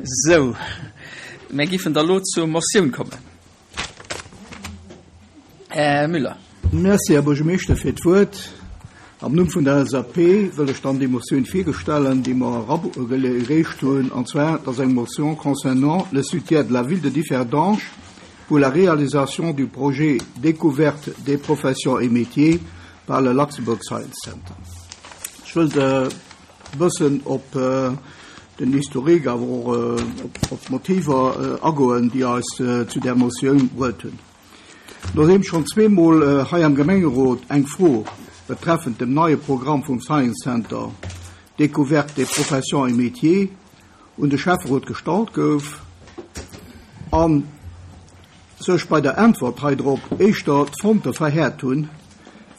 Sou, mir giffen da lo zur Motioun kommen. Här Müller. Merci, Här Buergermeeschter, fir d'Wuert. Am Numm vun der LSAP wëll ech dann déi Motioun virgestellen, déi mer eragereecht hunn, an zwar, dat ass eng Motion concernant le soutien de la ville de Differdange pour la réalisation du projet Découverte des professions et métiers par le Luxembourg Science Center. Ech wëllt e bëssen op den Historique, awer och op d'Motiver agoen, déi eis zu där Motioun bruet hunn. Nodeem schonn zweemol hei am Gemengerot eng Fro betreffend dem neie Programm vum Science Center Découverte des professions et métiers un de Schäfferot gestallt gouf a sech bei der Äntwert heidrop éischter d'Fronte verhäert hunn,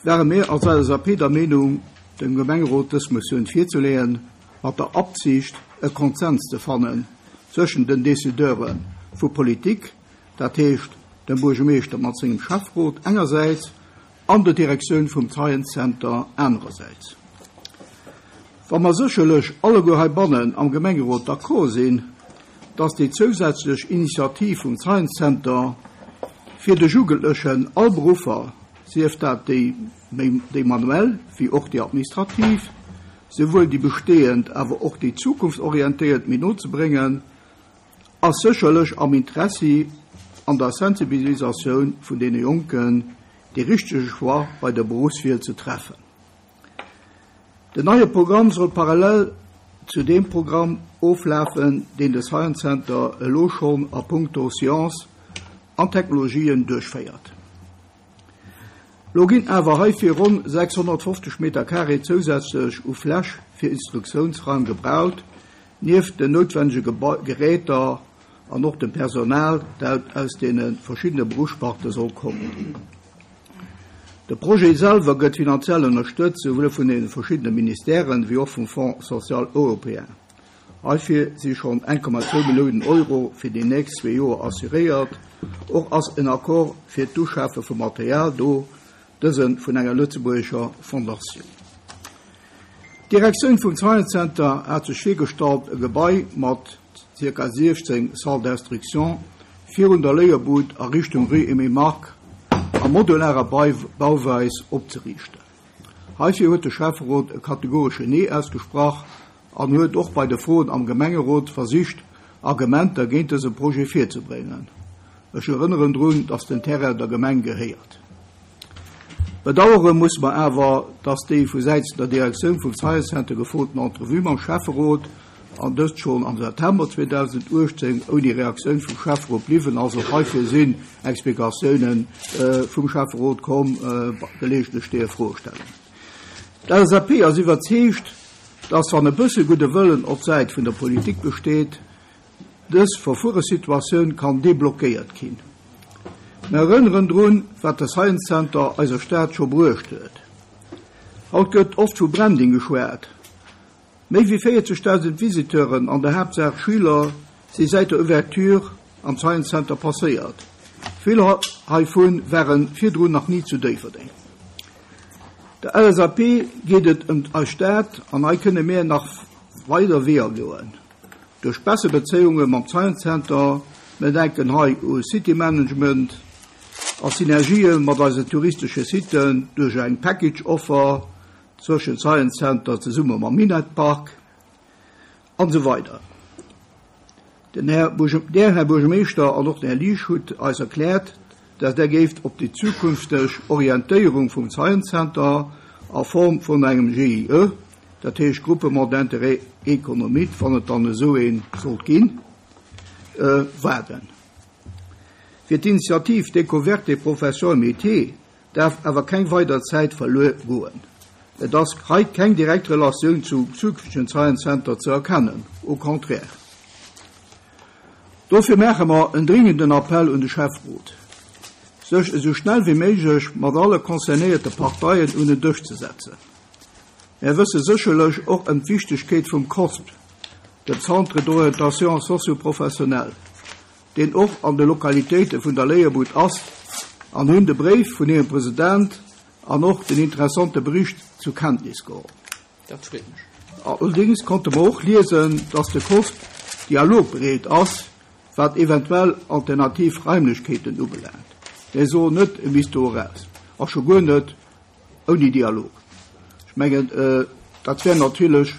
ware mir als LSAP der Meenung, dem Gemengerot dës Motioun virzeleeën, mat der Absicht, e Konsens ze fannen zwëschen den Decideure vu Politik, dat heescht dem Buergermeeschter mat sengem Schäfferot engersäits an der Direktioun vum Science Center anerersäits. Wa mer sécherlech alleguer heibannen am Gemengerot d'accord sinn, dass déi zousätzlech Initiativ vum Science Center fir de Jugendlechen all Beruffer, sief dat déi méi déi manuell wéi och déi administrativ, souwuel déi bestehend awer och déi zukunftsorientéiert méi no ze bréngen, ass sécherlech am Interessi an der Sensibilisatioun vun deene Jonken, dee richtege Choix bei der Beruffswiel ze treffen. Den neie Programm soll parallel zu deem Programm oflafen, deen de Science Center elo schonn a puncto Science an Technologien duerchféiert. Lo ginn awer heifir ronn 650 Meter carré zousätzlech u Fläch fir Instruktiounsraim gebraucht, nieft den noutwennege Geräter an och dem Personal, dat aus deene verschiddene Beruffssparte soll kommen. De Projet selwer gëtt finanziell ënnerstëtzt, souwuel vun deene verschiddene Ministèren wéi och vum Fonds social européen. Heifir si schonn 1,2 Milliounen Euro fir déi nächst zwee Joer assuréiert. Och ass en Accord fir d'Uschafe vu Material do, dëse vun enger lëtzebuergescher Fondatioun. D'Direktioun vum Science Center hat sech virgestallt, e Gebai mat ca. 16 Salles d'instruction virun der Léierbud a Richtung Rue Aimé Margue a modularer Bauweis opzeriichten. Heifir huet de Schäfferot e kategoresche Nee ausgesprach an huet och bei de Froen am Gemengerot versicht, Argumenter géint dëse Projet virzebréngen. Ech erënneren drun, dass den Terrain der Gemeng gehéiert. Bedauere musse mer awer, dass déi vu Säits der Direktioun vum Science Center gefroten Entrevue mam Schäfferot, an dëst schonn am September 2018, ouni Reaktioun vum Schäfferot bliwwen ass. Och heifir sinn Explikatiounen vum Schäfferot komm, gelegentlech deeër Froe stellen. D'LSAP ass iwwerzeegt, dass, wann e bësse gudde Wëllen op Säit vun der Politik besteet, Dës verfuere Situatioun kann deblockéiert ginn. Mer erënneren drun, wat de Science Center eiser Stad scho bruecht huet. Haut gëtt oft vu Branding geschwat. Méi wéi 40.000 Visiteuren, an der Haaptsaach Schüler, si säit der Ouverture am Science Center passéiert. Vill heivun ware virdrun nach ni zu Déifferdeng. Der LSAP geet et ëm eis Stad an hei kënne mir nach weider Weeër goen. Duerch besser Bezéiunge mam Science Center, mir denken hei u City Management, a Synergië mat eisen touristesche Siten duerch eng Package Offer zwëschen Science Center zesumme mam Minett Park, an esou weider Den Här Der Här Buergermeeschter an och den Här Liesch hutt eis erkläert, dass Der géift op déi zukünfteg Orientéierung vum Science Center a Form vun engem GIE, dat heescht Groupement d'intérêt économique, wann et dann esou ee sollt ginn, waarden. Fir d'Initiativ Découverte des professions et métiers däerf awer keng weider Zäit verluer goen. Et ass hei keng direkt Relatioun zum zukünftegen Science Center ze erkennen, au contraire. Dofir maache mer en dringenden Appell un de Schäfferot, sech esou schnell wéi méiglech mat alle concernéierte Parteien un en Dësch ze setzen. Mär wësse sécherlech och ëm d'Wichtegkeet vum COSP, dem Centre d'orientation socio-professionnelle, deen och an de Lokalitéite vun der Léierbud ass, an hunn de Bréif vun hirem President an och den interessante Bericht zur Kenntnis geholl. Dat freet mech. Allerdéngs konnte mer och liesen, dass de COSP. dialogbereet ass, wat eventuell alternativ Raimlechkeeten ubelaangt. Mir soen net, e misst do eraus, a scho guer net ouni Dialog. Ech mengen, dat wär natierlech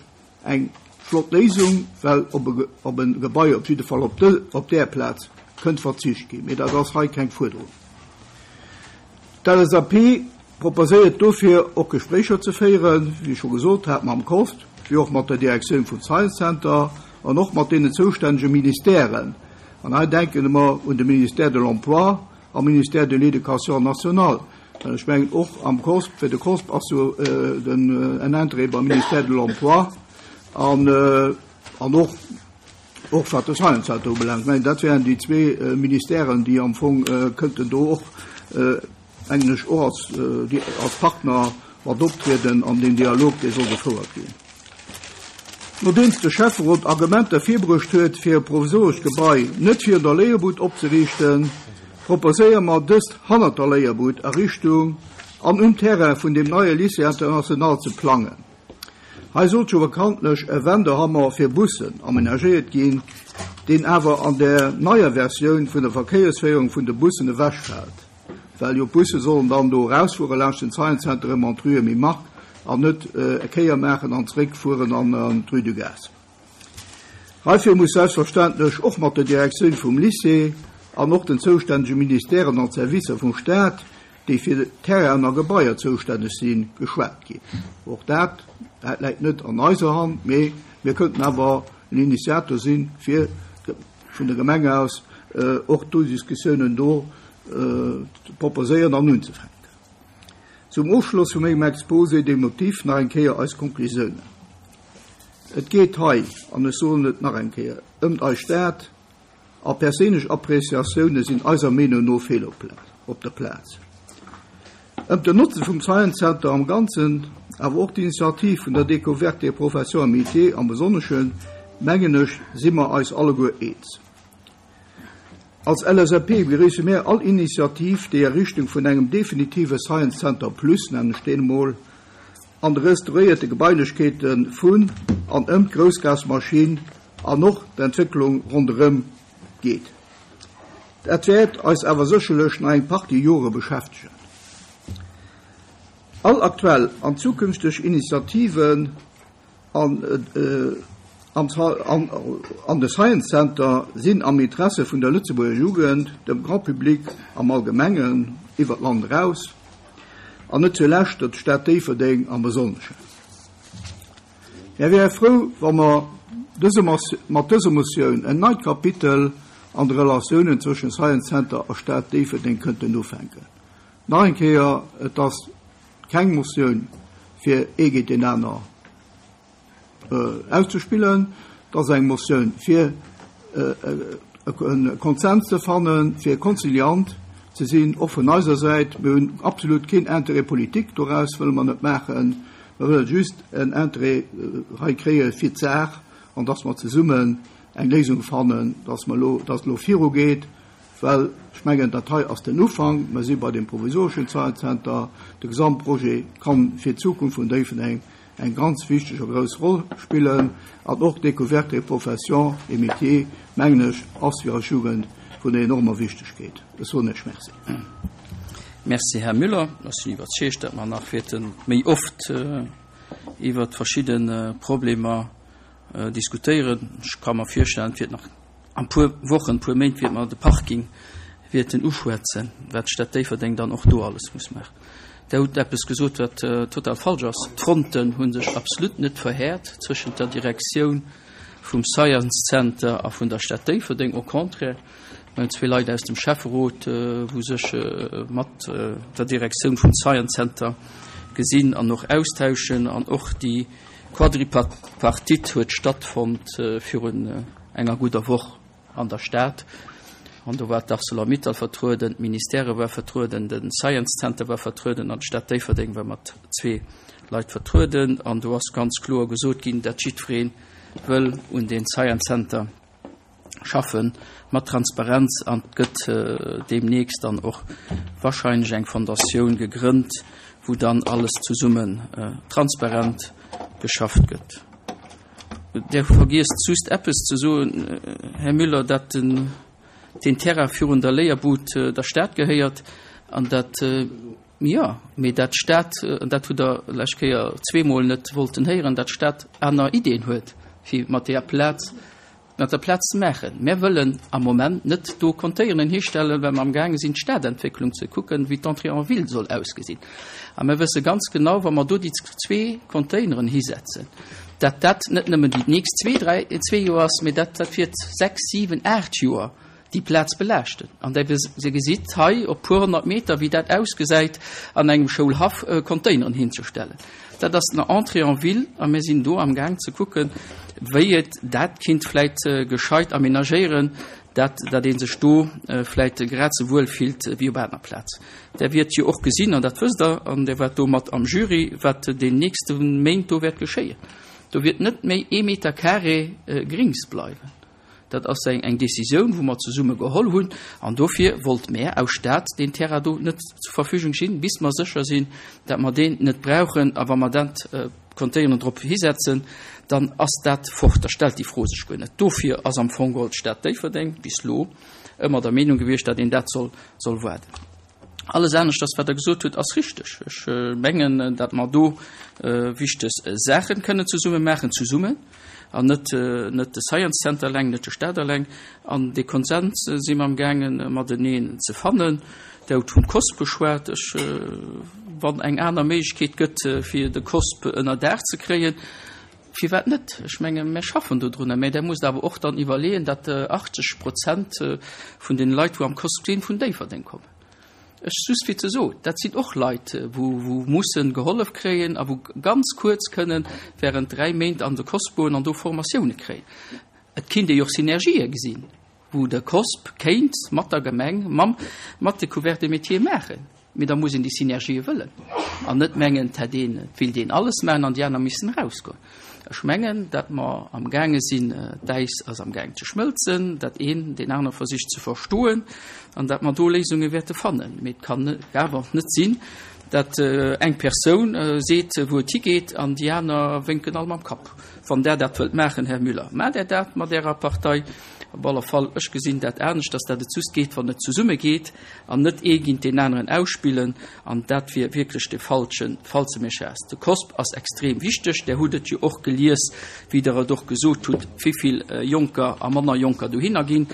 eng flott Léisung, well op e Gebai, op jidde Fall op där Plaz, kënnt verzicht ginn. Mee dat ass hei keng Fuerderung. D'LSAP proposéiert dofir och Gespréicher ze féieren, wéi ech scho gesot hat, mam COSP, wéi och mat der Direktioun vum Science Center an och mat deenen zoustännege Ministèren. An hei denken mer un de Ministère de l'Emploi a Ministère de l'Éducation nationale. Well ech mengen och am COSP, fir de COSP ass jo den en Interêt beim Ministère de l'Emploi an an och och wat de Science Center ubelaangt. Ech mengen dat wären déi zwee Ministèren, déi am Fong kënnten do och mengen ech och als als Partner mat optrieden an deen Dialog dee soll gefouert ginn. Nodeems de Schäfferot Argumenter virbruecht huet, fir e provisorescht Gebai net virun der Léierbud opzeriichten, proposéiere mer, dëst hannert der Léierbud a Richtung an um Terrain vun deem neie Lycée international ze plangen. Hei sollt jo bekanntlech e Wendehammer fir Bussen amenagéiert ginn, deen awer an der neier Versioun vun der Verkéiersféierung vun de Bussen ewechfält. Well jo d'Busse sollen dann do erausfuere laanscht den Science Center erëm an d'Rue Emile Mark an net e Kéier maachen an zeréckfueren an d'Rue du Gaz. Heifir muss selbstverständlech och mat der Direktioun vum Lycée an och den zoustännege Ministèren an Servicer vum Staat, déi fir Terrainen a Gebaier zoustänneg sinn, geschwat ginn. Och dat läit net an eiser Hand, mee mir kënnten awer en Initiator sinn, fir vun der Gemeng aus och do Diskussiounen do ze proposéieren an unzefänken. Zum Ofschloss vu mengem Exposé des motifs nach eng Kéier eis Konklusiounen. Et geet hei, an ech soen et nach eng Kéier, ëmt eis Stad, a perséinlech Appréciatioune sinn eiser Meenung no fehl op der Plaz. Ëmt den Notze vum Science Center am Ganzen, awer och d'Initiativ vun der Découverte des professions et métiers am Besonneschen, mengen ech, si mer eis alleguer eens. Als LSAP begréisse mir all Initiativ, déi a Richtung vun engem definitive Science Center Plus, nennen ech deen emol, an de restauréierte Gebailechkeete vun an ëm d'Groussgasmaschinn an och d'Entwécklung ronderëm geet. Dat wäert eis awer sécherlech nach eng Partie Jore beschäftegen. All aktuell an zukünfteg Initiativen an an de Science Center sinn am Interesse vun der Lëtzebuerger Jugend, dem Grand Public am Allgemengen, iwwer d'Land eraus, an net zulescht der Stad Déifferdeng am Besonneschen. Mär wäre frou, wa mer mat dëser Motioun en neit Kapitel an de Relatiounen zwëschen Science Center a Stad Déifferdeng kënnten ufänken. Nach eng Kéier, et ass keng Motioun, fir ee géint deen aner auszespillen. Et ass eng Motioun, fir e Konsens ze fannen, fir konziliant ze sinn, och vun eiser Säit. Mir hunn absolut keen Intérêt politique doraus, wëlle mer net maachen. Mer wëlle just en Intérêt hei kréie fir d'Saach an dass mer zesummen eng Léisung fannen, dass mer elo, dass et elo virugeet. Well ech mengen, dat hei ass den Ufank. Mer si bei deem provisoreschen Science Center. De Gesamtprojet kann fir d'Zukunft vun Déifferdeng eng ganz wichteg a grouss Roll spillen. An och d'Découverte des professions et métiers, mengen ech, ass fir eis Jugend vun enormer Wichtegkeet. Ech soen Iech Merci. Merci, Här Müller. Ech sinn iwwerzeegt, datt mer nach wäerte méi oft iwwert verschidde Problemer diskutéieren. Ech ka mer virstellen, et wäert nach An puer Wochen, puer Méint wäerte mer de Parking wäerten uschwätzen, wat d'Stad Déifferdeng dann och do alles muss maachen. Der hutt eppes gesot, wat total falsch ass. D'Fronten hu sech absolut net verhäert zwëschent der Direktioun vum Science Center a vun der Stad Déifferdeng. Au contraire, mir hunn zwee Leit aus dem Schäfferot, wou sech mat der Direktioun vum Science Center gesinn an och austauschen. An och déi Quadripartite huet stattfonnt virun enger gudder Woch an der Stad. An do war d'Arcelor-Mittal vertrueden, d'Ministèrë war vertrueden, de Science Center war vertrueden an d'Stad Déifferdeng war mat zwee Leit vertrueden. An do ass ganz kloer gesot ginn, dat jiddweree wëll un dee Science Center schaffe mat Transparenz. An et gëtt deemnächst dann och wahrscheinlech eng Fondatioun gegrënnt, wou dann alles zesummen transparent geschafft gëtt. Der vergiesst just eppes ze soen, Här Müller, dat den Terrain virun der Léierbud der Stad gehéiert an dat, jo, mee dat d'Stad, an dat hutt Der lescht Kéier zweemol net wollten héieren, dat d'Stad aner Ideeën huet, fir mat deeër Plaz Mat der Plaz ze maachen. Mär wëllen am Moment net do Containeren histellen, well mer amgaange sinn, d'Stadentwécklung ze kucken, wéi d'Entrée en ville soll ausgesinn. A mer wësse ganz genau, wa mer do déi zwee Containeren hisetzen, dat dat net nëmmen déi nächst zwee, dräi, zwee Joer ass, mee dat dat wiert sechs, siwen, aacht Joer déi Plaz belaaschten. An Der gesitt hei op puer 100 Meter, wéi dat ausgesäit, an engem Schoulhaff Containeren hinzestellen. Dat ass den Entrée en ville a mir sinn do amgaang ze kucken, wéi et dat kinnt vläit gescheit aménagéieren, dat dat ee sech do vläit grad esou wuel fillt wéi op aner Plaz. Der wiert jo och gesinn, an dat wësst Der, an Der waart do mat am Jury, wat deen nächste Méint do wäert geschéien. Do wiert net méi ee Meter carré Grings bleiwen. Dat ass eng Décisioun, wou mer zesumme geholl hunn, an dofir wollt mär aus Stad deen Terrain do net zur Verfügung stinn, bis mer sécher sinn, dat mer deen net brauchen. A wa mer dat Containeren drop hisetzen, dann ass dat fort. Da stellt déi Fro sech guer net. Dofir ass am Fong geholl d'Stad Déifferdeng bis elo ëmmer der Meenung gewiescht, dat een dat soll waarden. Alles aneschters, wat Der gesot hutt, ass richteg. Ech mengen, datt mer do wichteg Saache kënnen zesumme maachen, zesummen, an net, net de Science Center eleng, net de Stat eleng. An dee Konsens si mer amgaange mateneen ze fannen. Der hutt vum COSP geschwat. Ech, wann eng aner Méiglechkeet gëtt, fir de COSP ënnerdaach ze kréien, firwat net? Ech menge mir schaffen dodrunner. Mä Der musst awer och dann iwwerleeën, datt 80 Prozent vun deene Leit, wou am COSP sinn, vun Déifferdeng kommen. Ech just fir ze soen, dat sinn och Leit, wou, wou mussen gehollef kréien a wou ganz kuerz kënnen während 3 Méint an de COSP goen an do Formatioune kréien. Et kinnt ee jo och Synergië gesinn, wou de COSP kéint mat der Gemeng, mam, mat de Couverts de métiers maachen. Mee da muss een déi Synergië wëllen an net mengen, et hätt een, et wéilt een alles maachen an déi aner missten erausgoen. Ech mengen, datt mer amgaange sinn, d'Äis ass amgaang ze schmëlzen, datt een deen anere versicht ze verstoen an datt mer do Léisunge wäerte fannen. Mee et kann awer net sinn, datt eng Persoun seet, wou et higeet an déi aner wénken all mam Kapp. Wann Der dat wëllt maachen, Här Müller, maacht Der dat mat Ärer Partei. Op alle Fall, ech gesinn dat aneschters, datt et just geet, wann et zesumme geet an net ee géint deen aneren ausspillen. An dat wier wierklech de falschen, falsche Message. De COSP ass extrem wichteg. Der hutt et jo och gelies, wéi Der et och gesot hutt, wéivill Jonker a manner Jonker dohinner ginn.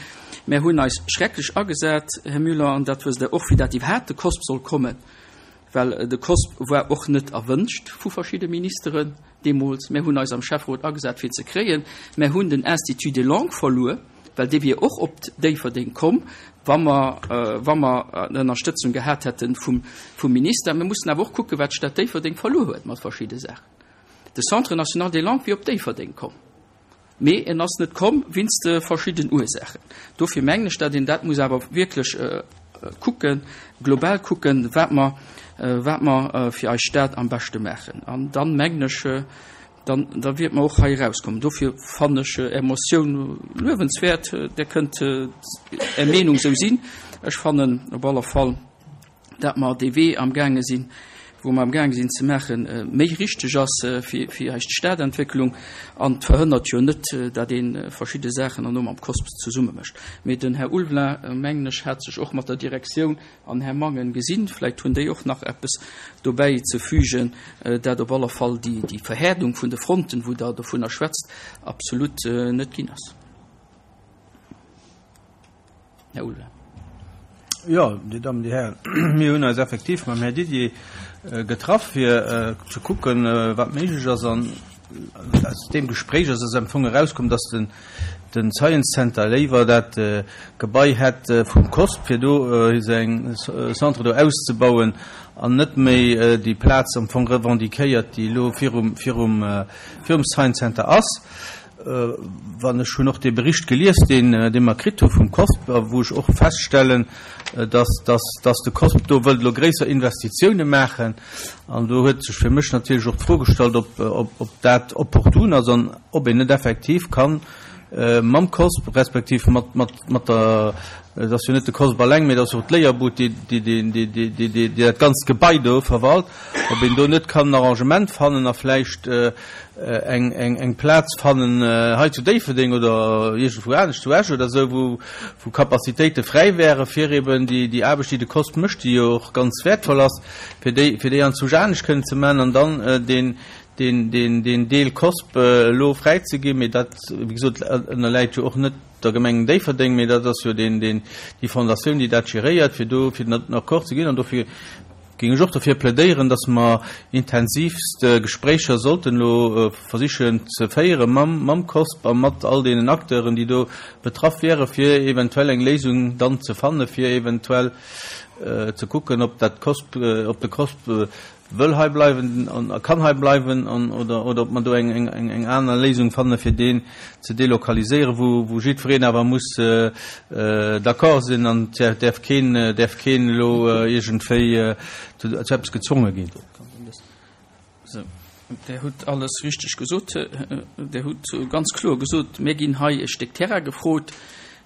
Mär hunn eis schrecklech agesat, Här Müller, an dat wësst Der och, fir dat iwwerhaapt de COSP soll kommen, well de COSP war och net erwënscht vu verschidde Ministeren deemools. Mär hunn eis am Schäfferot agesat, fir en ze kréien. Mär hunn den Institut des langues verluer. Well dee wier och op Déifferdeng komm, wa mer, wa mer Ënnerstëtzung gehat hätte vum, vum Minister. Mir mussen awer och kucken, wat d'Stad Déifferdeng verluer huet mat verschidde Saachen. De Centre national des langues wier op Déifferdeng komm, mee en ass net komm wéinst verschidden Ursaachen. Dofir mengen ech, datt een dat muss awer wierklech kucken, global kucken, wat mer, wat mer fir eis Stad am beschte maachen. An dann, mengen ech, Dann, da wiert mer och hei erauskommen. Dofir fannen ech Är Motioun luewenswäert. Där kënnt Är Meenung esou sinn. Ech fannen op alle Fall, dat mer dee Wee amgaange sinn, wou mer amgaange sinn ze maachen, méi richteg ass fir, fir eis Stadentwécklung. An et verhënnert jo net, dat ee verschidde Saachen herno mam COSP zesumme mécht. Mee den Här Ulveling, mengen ech, hat sech och mat der Direktioun An Här Mangen gesinn. Vläicht hunn déi och nach eppes dobäi ze fügen, dat op aller Fall déi Verhäerdung vun de Fronten, wou Der dovunner schwätzt, absolut net ginn ass. Här Ulveling. Jo, Dir Dammen, Dir Hären, mir hunn eis effektiv mam Här Didier getraff, fir ze kucken, wat méiglech ass. An aus deem Gespréich ass am Fong erauskomm, dass den den Science Center léiwer dat Gebai hätt vum COSP, fir do säin Centre do auszebauen an net méi déi Plaz am Fong revendiquéiert, déi elo virum, virum, virum Science Center ass. Wann ech hunn och dee Bericht gelies, deen, dee mer kritt hu vum COSP, a wou ech och feststellen, dass, dass, dass de COSP do wëllt elo gréisser Investitiounen maachen. An do huet sech fir mech natierlech och d'Fro gestallt, ob, ob, ob dat opportun ass an ob een net effektiv kann. mam COSP respektiv mat, mat, mat der, et ass jo net de COSP alleng, mee et ass och d'Léierbud, déi, déi, déi, déi, déi, déi dat ganzt Gebai do verwalt, ob een do net kann en Arrangement fannen a vläicht eng, eng, eng Plaz fannen hei zu Déifferdeng oder iergendwou anescht, zu Esch oder esou, wou, wou Capacitéite fräi wäre fir eben déi, déi Aarbecht, déi de COSP mécht, déi jo och ganz wäertvoll ass, fir déi, fir déi anzwousch anescht kënnen ze maachen an dann deen, deen, deen, deen Deel COSP elo fräi ze ginn. Mee dat, wéi gesot, ënnerläit jo och net der Gemeng Déifferdeng, mee dat ass jo deen, deen, déi Fondatioun, déi dat geréiert, fir do, fir den Accord ze ginn. An dofir géing ech och dofir plädéieren, dass mer intensivst Gespréicher sollten elo versichen ze féiere mam, mam COSP a mat all deenen Acteuren, déi do betraff wieren, fir eventuell eng Léisung dann ze fanne fir eventuell ze kucken, ob dat COSP, ob de COSP wëll hei bleiwen an a kann hei bleiwen an oder oder ob mer do eng eng eng eng aner Léisung fanne fir deen ze delokaliséieren, wou wou jiddwereen awer muss d'accord sinn an et däerf keen däerf keen elo iergendwéi zu zu eppes gezwonge ginn. Sou, Der hutt alles richteg gesot. Der hutt ganz kloer gesot, mir ginn hei e Stéck Terrain gefrot.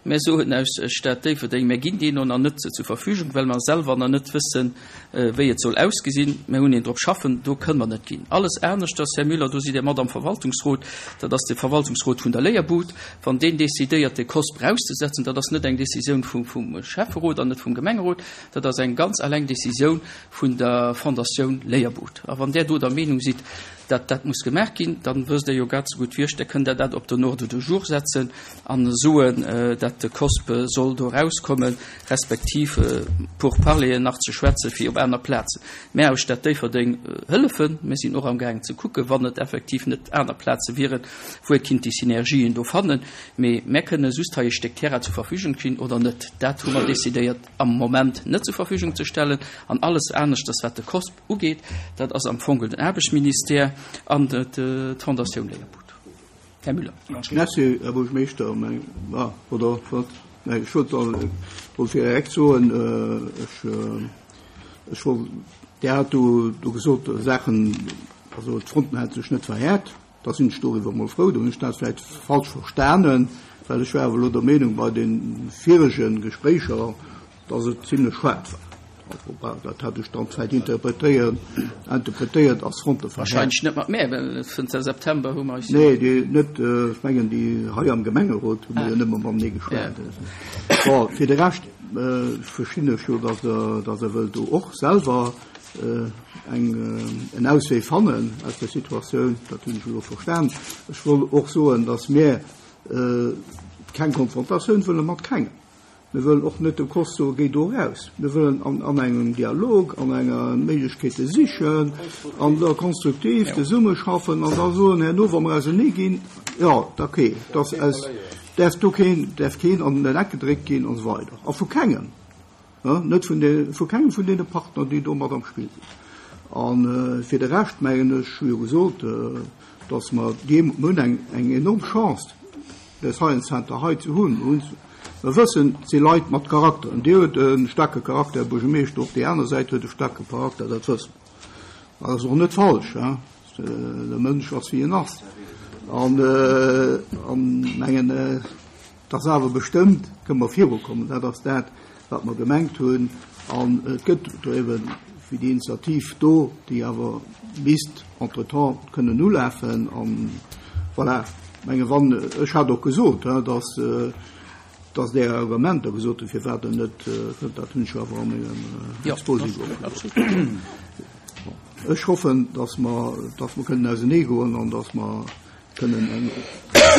Mär soen aus Stad Déifferdeng, mär ginn deen och nach net zur Verfügung, well mer selwer nach net wëssen, wéi et soll ausgesinn. Mär hunn een drop schaffen, do kënne mer net ginn. Alles aneschters, Här Müller, do sidd Dir mat am Verwaltungsrot, dat ass de Verwaltungsrot vun der Léierbud. Wann deen decidéiert, de COSP erauszesetzen, dat ass net eng Décisioun vum Schäfferot an net vum Gemengerot, dat ass eng ganz alleng Décisioun vun der Fondatioun Léierbud. A wann Där do der Meenung sidd, datt dat muss gemaach ginn, dann wësst Der jo grad esou gutt wéi ech, da kënnt Der dat op den Ordre du jour setzen an soen, datt de COSP soll do erauskommen, respektiv Pourparleren nach ze schwätzen, fir op aner Plazen. Mär aus Stad Déifferdeng hëllefen. Mir sinn och amgaangen ze kucken, wann et effektiv net aner Plaze wieren, wou ee kinnt déi Synergien do fannen. Mee mär kënne just hei e Stéck Terrain zur Verfügung stinn oder net. Dat hu mer decidéiert am Moment net zur Verfügung ze stellen. An alles aneschters, wat de COSP ugeet, dat ass am Fong den Aarbechtsministère an d'Fondatioun Léierbud. Här Müller. Merci, Här Buergermeeschter. Oder wat? Nee, ech wollt wollt fir direkt soen, ech, ech wollt, Dir hat do, do gesot Saachen, also d'Fronten hätte sech net verhäert. Da sinn ech doriwwer emol frou. Do hunn ech dat vläicht falsch verstanen, well ech war awer elo der Meenung bei de virege Gespréicher, dass et zimlech haart war. Also, bah, dat hat ech dann vläicht interpretéiert, interpretéiert als Fronteverhärtung. Wahrscheinlech net mat mär, well zënter September hu mer eis. Nee, déi net, ech mengen déi hei am Gemengerot hu mer jo nëmme matenee geschwat. Bon, fir de Rescht verstinn ech jo, dass Der, dass Der wëllt do och selwer eng, en Auswee fannen aus der Situatioun. Dat hunn ech elo verstan. Ech wollt och soen, dass mir keng Konfrontatioun wëlle mat kengem. Mir wëllen och net dem COSL soen, Géi do eraus. Mir wëllen an, an engem Dialog, an enger Méiglechkeete sichen an da konstruktiv zesummeschaffen an da soen herno, wa mer auserneeginn, jo, da okay, dass aus, däerf do keen, däerf keen an den Eck gedréckt ginn an esou weider. A vu kengem. Net vun de, vu kengem vun deene Partner, déi do mat am Spill sinn. A fir de Rescht, mengen ech, hu jo gesot, dass mer déi, mer hunn eng, eng enorm Chance, de Science Center hei ze hunn. Mer hunn, mer wëssen, et si Leit mat Charakter. Dir hutt e staarke Charakter, Här Buergermeeschter, och déi aner Säit huet e staarke Charakter, dat wësse mer. Dat ass och net falsch, hein. De Mënsch ass, wéi en ass. An, an mengen, Et ass awer bestëmmt, kënne mer virukommen. Dat ass dat, wat mer gemengt hunn. An et gëtt do eben wéi déi Initiativ do, déi awer misst entretemps kënnen ulafen. An voilà, ech menge wann, ech hat och gesot, dass, dass Är Argumenter gesot hunn, firwat Der net kënnt, dat hunn ech jo awer a mengem Exposé gesot. Ech hoffen, dass mer, dass mer kënnen auseneegoen an dass mer kënnen eng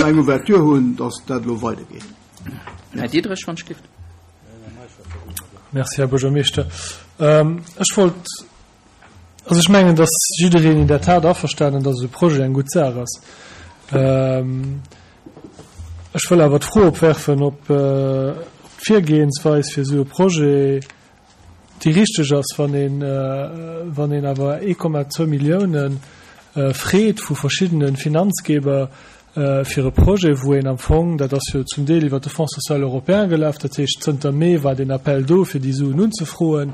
eng Ouverture hunn, dass dat elo weidergeet. Här Diderich, wann ech dierft. Merci, Här Buergermeeschter. Ech wollt, also ech mengen, dass jiddereen in der Tat averstanen, dass esou e Projet eng gutt Saach ass. Ech wëll awer d'Fro opwerfen, ob d'Virgehensweis fir esou e Projet déi richteg ass, wann een, wann een awer 1,2 Milliounen freet vu verschiddene Finanzgeber fir e Projet, wou een am Fong, dat ass jo zum Deel iwwert de Fonds social européen gelaf, dat heescht zënter Mee war deen Appel do, fir déi Suen unzefroen.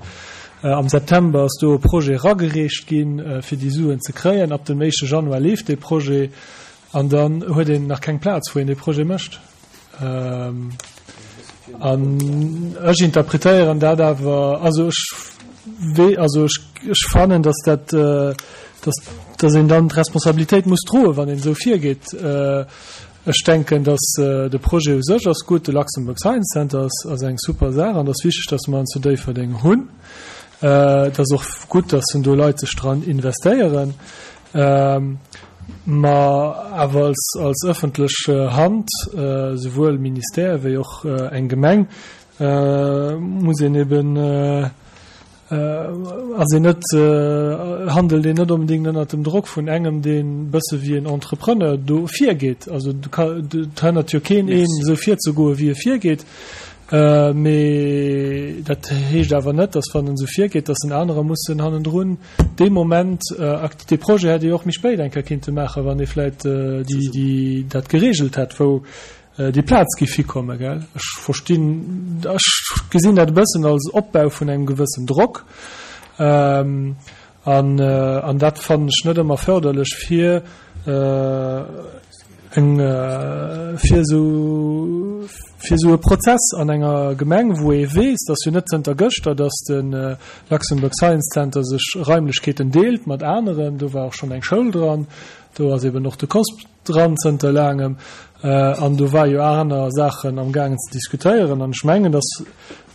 Am September ass do e Projet eragereecht ginn, fir déi Suen ze kréien. Ab dem éischte Januar leeft dee Projet. An dann huet een nach keng Plaz, wou een dee Projet mécht. An ech interpretéieren dat awer, also ech wee, also ech, ech fannen, dass dat, dass, dass een dann d'Responsabilitéit muss droen, wann een esou virgeet. Ech denken, dass de Projet u sech ass gutt, de Luxembourg Science Center ass, ass eng super Saach an et ass wichteg, dass mer en zu Déifferdeng hunn. Et ass och gutt, dass do Leit sech dran investéieren. Ma awer als, als ëffentlech Hand, souwuel Ministère wéi och eng Gemeng, muss een eben, ass een net, handelt een net onbedéngt ënnert dem Drock vun engem, deen e bësse wéi en Entrepreneur do virgeet. Also et hënnert jo keen een, esou virzegoen, wéi e virgeet. Mee dat heescht awer net, datt wann en esou virgeet, datt en anerer mussen hannendrun dee Moment, dee Projet hätt ee jo och méi spéit eng Kéier kinnte maachen, wann ee vläicht déi dat geregelt hätt, wou déi Plaz géif hikommen, gell? Ech verstinn, ech gesinn dat e bëssen als Opbau vun engem gewëssen Drock. An, an dat fannen ech net ëmmer förderlech fir eng, fir esou, fir esou e Prozess an enger Gemeng, wou ee weess, dat ass jo net zënter gëschter, dass de Luxembourg Science Center sech Raimlechkeeten deelt mat aneren. Do war och schonn eng Schoul dran, do ass eben och de COSP dran zënter laangem an do war jo aner Saachen am gaangen ze diskutéieren an ech mengen, datt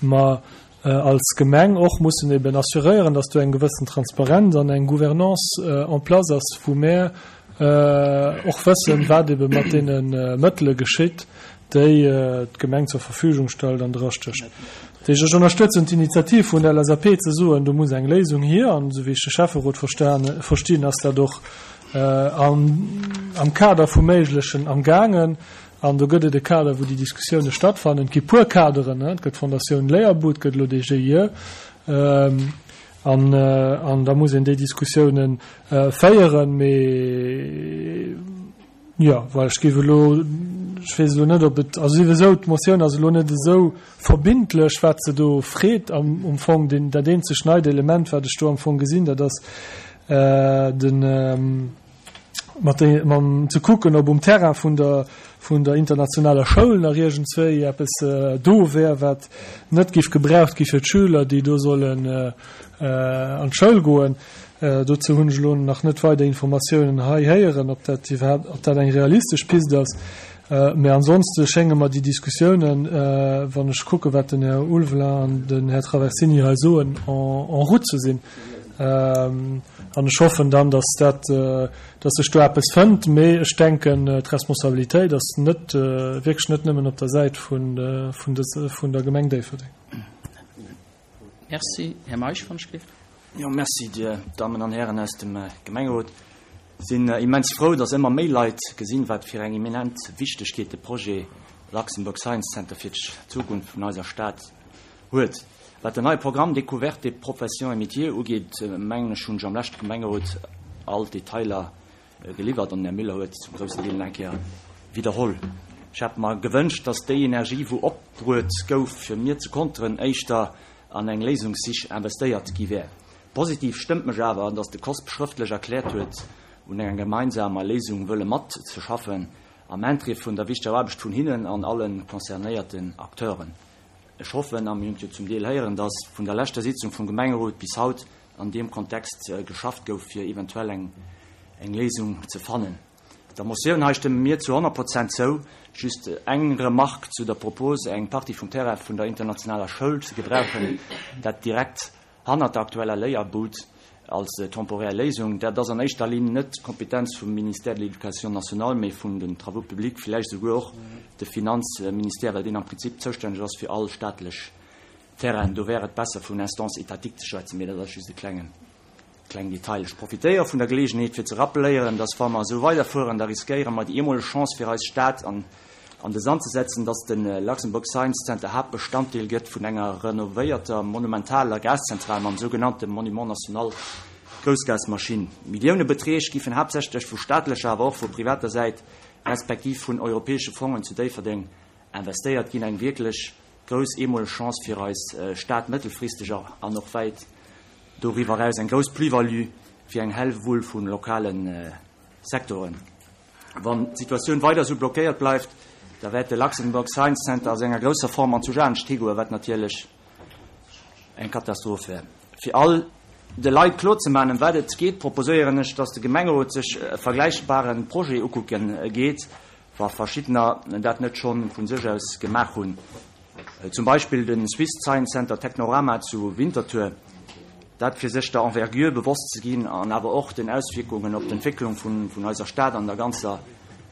mer als Gemeng och mussen eben assuréieren, datt do eng gewëssen Transparenz an eng Gouvernance en place ass, wou mär och wëssen, wat ebe mat deene Mëttele geschitt, déi d'Gemeng zur Verfügung stellt an drastécht. Dat heescht, ech ënnerstëtzen d'Initiativ vun der LSAP ze soen, do muss eng Léisung hier an esou wéi ech de Schäfferot verstinn, ass dat och am Kader vum Méiglechen am gaangen. An do gëtt et e Kader, wou déi Diskussioune stattfannen. Et gi puer Kaderen, et gëtt d'Fondatioun Léierbud, et gëtt elo dee GIE. An da muss een déi Diskussioune féieren. Mee jo, well ech géif elo, ech weess elo net, ob et, also souwisou, d'Motioun ass elo net esou verbindlech, wat se do freet am Fong. Deen, dat eenzegt neit Element, wat ech do am Fong gesinn, dat ass, den mat de mam ze kucken, ob um Terrain vun der vun der internationaler Schoul nach iergendswéi eppes do wär, wat net géif gebraucht gi fir d'Schüler, déi do sollen an d'Schoul goen. Dozou hunn ech elo nach net weider Informatiounen hei héieren, ob dat iwwerhaapt, ob dat eng realistesch Pist ass. Mä ansonste schénge mer déi Diskussiounen, wann ech kucke wat den Här Ulveling an den Här Traversini hei soen, en route ze sinn. An ech hoffen dann, dass dat, dass sech do eppes fënnt. Mee ech denken, d'Responsabilitéit ass net, wierklech net nëmmen op der Säit vun, vun des, vun der Gemeng Déifferdeng. Merci. Här Meisch, wann ech gleeft. Jo, merci, Dir Dammen an Hären aus dem Gemengerot. Sinn immens frou, dass ëmmer méi Leit gesinn, wat fir eng eminent Wichtegkeet de Projet Luxembourg Science Center fir d'Zukunft vun eiser Stad huet. Wat den neie Programme Découverte des professions et métiers ugeet, mengen ech, hunn ech am leschte Gemengerot all d'Detailer geliwwert an den Här Müller huet zum groussen Deel nach eng Kéier widderholl. Ech hätt mer gewënscht, dass déi Energie, wou opbruet gouf, fir mir ze konteren, éischter an eng Léisungssich investéiert gi wär. Positiv stëmmt mech awer, dass de COSP schrëftlech erkläert huet, un enger gemeinsamer Léisung wëlle matzeschaffen, am Interêt vun der wichteger Aarbecht vun hinnen an alle concernéierten Acteuren. Ech hoffen, a mir hunn et jo zum Deel héieren, dass vun der leschter Sitzung vum Gemengerot bis haut an deem Kontext geschafft gouf, fir eventuell eng Léisung ze fannen. Der Motioun hei stëmme mir zu 100 Prozent zou. Just eng Remarque zu der Propos, eng Partie vum Terrain vun der internationaler Schoul ze gebrauchen, dat direkt hannert der aktueller Léierbud als temporär Léisung. Dat ass an éischter Linn net d'Kompetenz vum Ministère de l'Éducation nationale, mee vun den Travaux publics, villäicht esouguer och de Finanzministère, well deen am Prinzip zoustänneg ass fir all staatlech Terrainen. Do wär et besser, vun Instance étatique ze schwätzen, mee dat ass just e klengen Kleng Detail, Ech profitéiere vun der Geleegenheet fir ze rappeléieren, dass wa mer esou weiderfueren, da riskéiere mer déi eemoleg Chance fir eis Stad an an de Sand ze setzen, dass de Luxembourg Science Center Haaptbestanddeel gëtt vun enger renovéierter monumentaler Gaszentral mam sougenannte Monument national Groussgasmaschinn. Milliounebeträg giffen haaptsächlech vu staatlecher, awer och vu privater Säit respektiv vun europäesche Fongen zu Déifferdeng investéiert ginn. Eng wierklech grouss eemoleg Chance fir eis Stad mëttelfristeg an och wäit doriwwer eraus eng grouss Plus-value fir eng Hellwull vu lokale Secteuren. Wann d'Situatioun weider esou blockéiert bleift, da wäert de Luxembourg Science Center a senger grousser Form an zu anescht higoen, wat natierlech eng Katastroph wär. Fir all de Leit klorzemaachen, ëm wat et geet, proposéieren ech, dass de Gemengerot sech e vergläichbare Projet ukucke geet, wa verschiddener dat net scho vu sech aus gemaach hunn, zum Beispill de Swiss Science Center Technorama zu Winterthur, dat fir sech der Envergure bewosst ze ginn an awer och den Auswierkungen op d'Entwécklung vun eiser Stad an der ganzer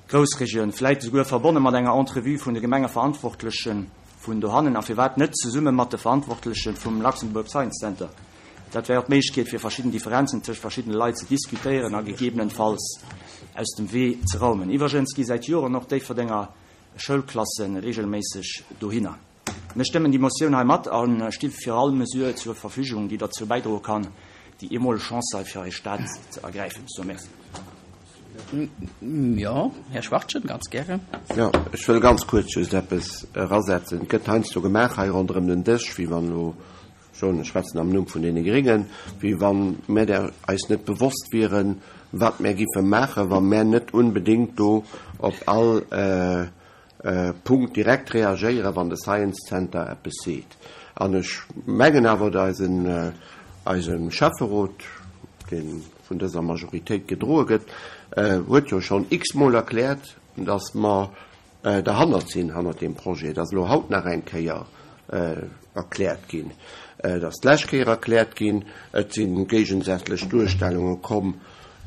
Groussregioun, vläit esouguer verbonne mat enger Entrevue vun de Gemengeverantwortlechen vun dohannen a firwat net zesumme mat de Verantwortleche vum Luxembourg Science Center. Dat wär och d'Méiglechkeet, fir verschidden Differenzen tëscht verschiddene Leit ze diskutéieren a gegebenenfalls aus dem Wee ze raumen. Iwwregens gi säit Joren och Déifferdenger Schoulklasse regelméisseg dohinner. Mir stëmmen déi Motioun hei mat a sti fir all Mesure zur Verfügung, déi derzou bäidroe kann, déi eemoleg Chance hei fir eis Stad ze ergräifen. So, merci. Jo, Här Schwachtgen, ganz gären. Jo, ech wëll ganz kuerz just eppes erasetzen. Et gëtt heiansdo gemaach hei ronderëm den Dësch, wéi wann elo, ech schwätzen am Numm vun deene Gréngen, wéi wa mär der eis net bewosst wieren, wat mär giffe maachen, wa mär net unbedéngt do op all Punkt direkt reagéieren, wann de Science Center eppes seet. An ech mengen awer, eisen, eise Schäfferot, dee vun dëser Majoritéit gedroe gëtt, huet jo schonn x-mol erkläert, datt mer derhannert sinn, hannert deem Projet. Et ass elo haut nach eng Kéier erkläert ginn. Et ass d'lescht Kéier erkläert ginn. Et si géigesätzlech Duerstellunge komm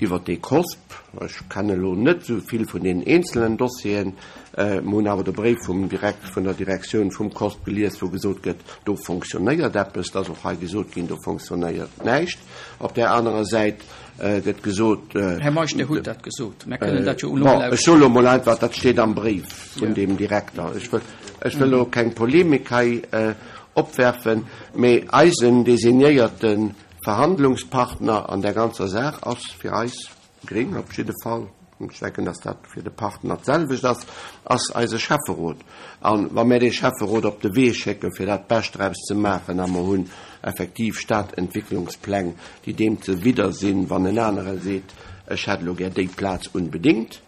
iwwert dee COSP. Ech kenne elo net esou vill vun deenen eenzelen Dossieren. Mer hunn awer de Bréif vum Direkt, vun der Direktioun vum COSP gelies, wou gesot gëtt, do fonctionnéiert eppes. Et ass och hei gesot ginn, do fonctionnéiert näischt. Op där anerer Säit gëtt gesot. Här Meisch, Dir hutt dat gesot. Mer kënnen dat jo elo mol Ech soe lo mol einfach, dat steet am Bréif vun deem Direkter. Ech wëll, ech wëll elo keng Polemik hei opwerfen, mee eisen designéierte Verhandlungspartner an där ganzer Saach ass fir eis Gréng op jidde Fall, ech denken, dass dat fir de Partner d'selwecht ass, ass eise Schäfferot. A wa mir dee Schäfferot op de Wee schécken, fir dat Bescht draus ze maachen, a mer hunn effektiv Stadentwicklungspläng, déi deem zewidder sinn, wann en anere seet, ech hätt elo gär déi Plaz unbedéngt,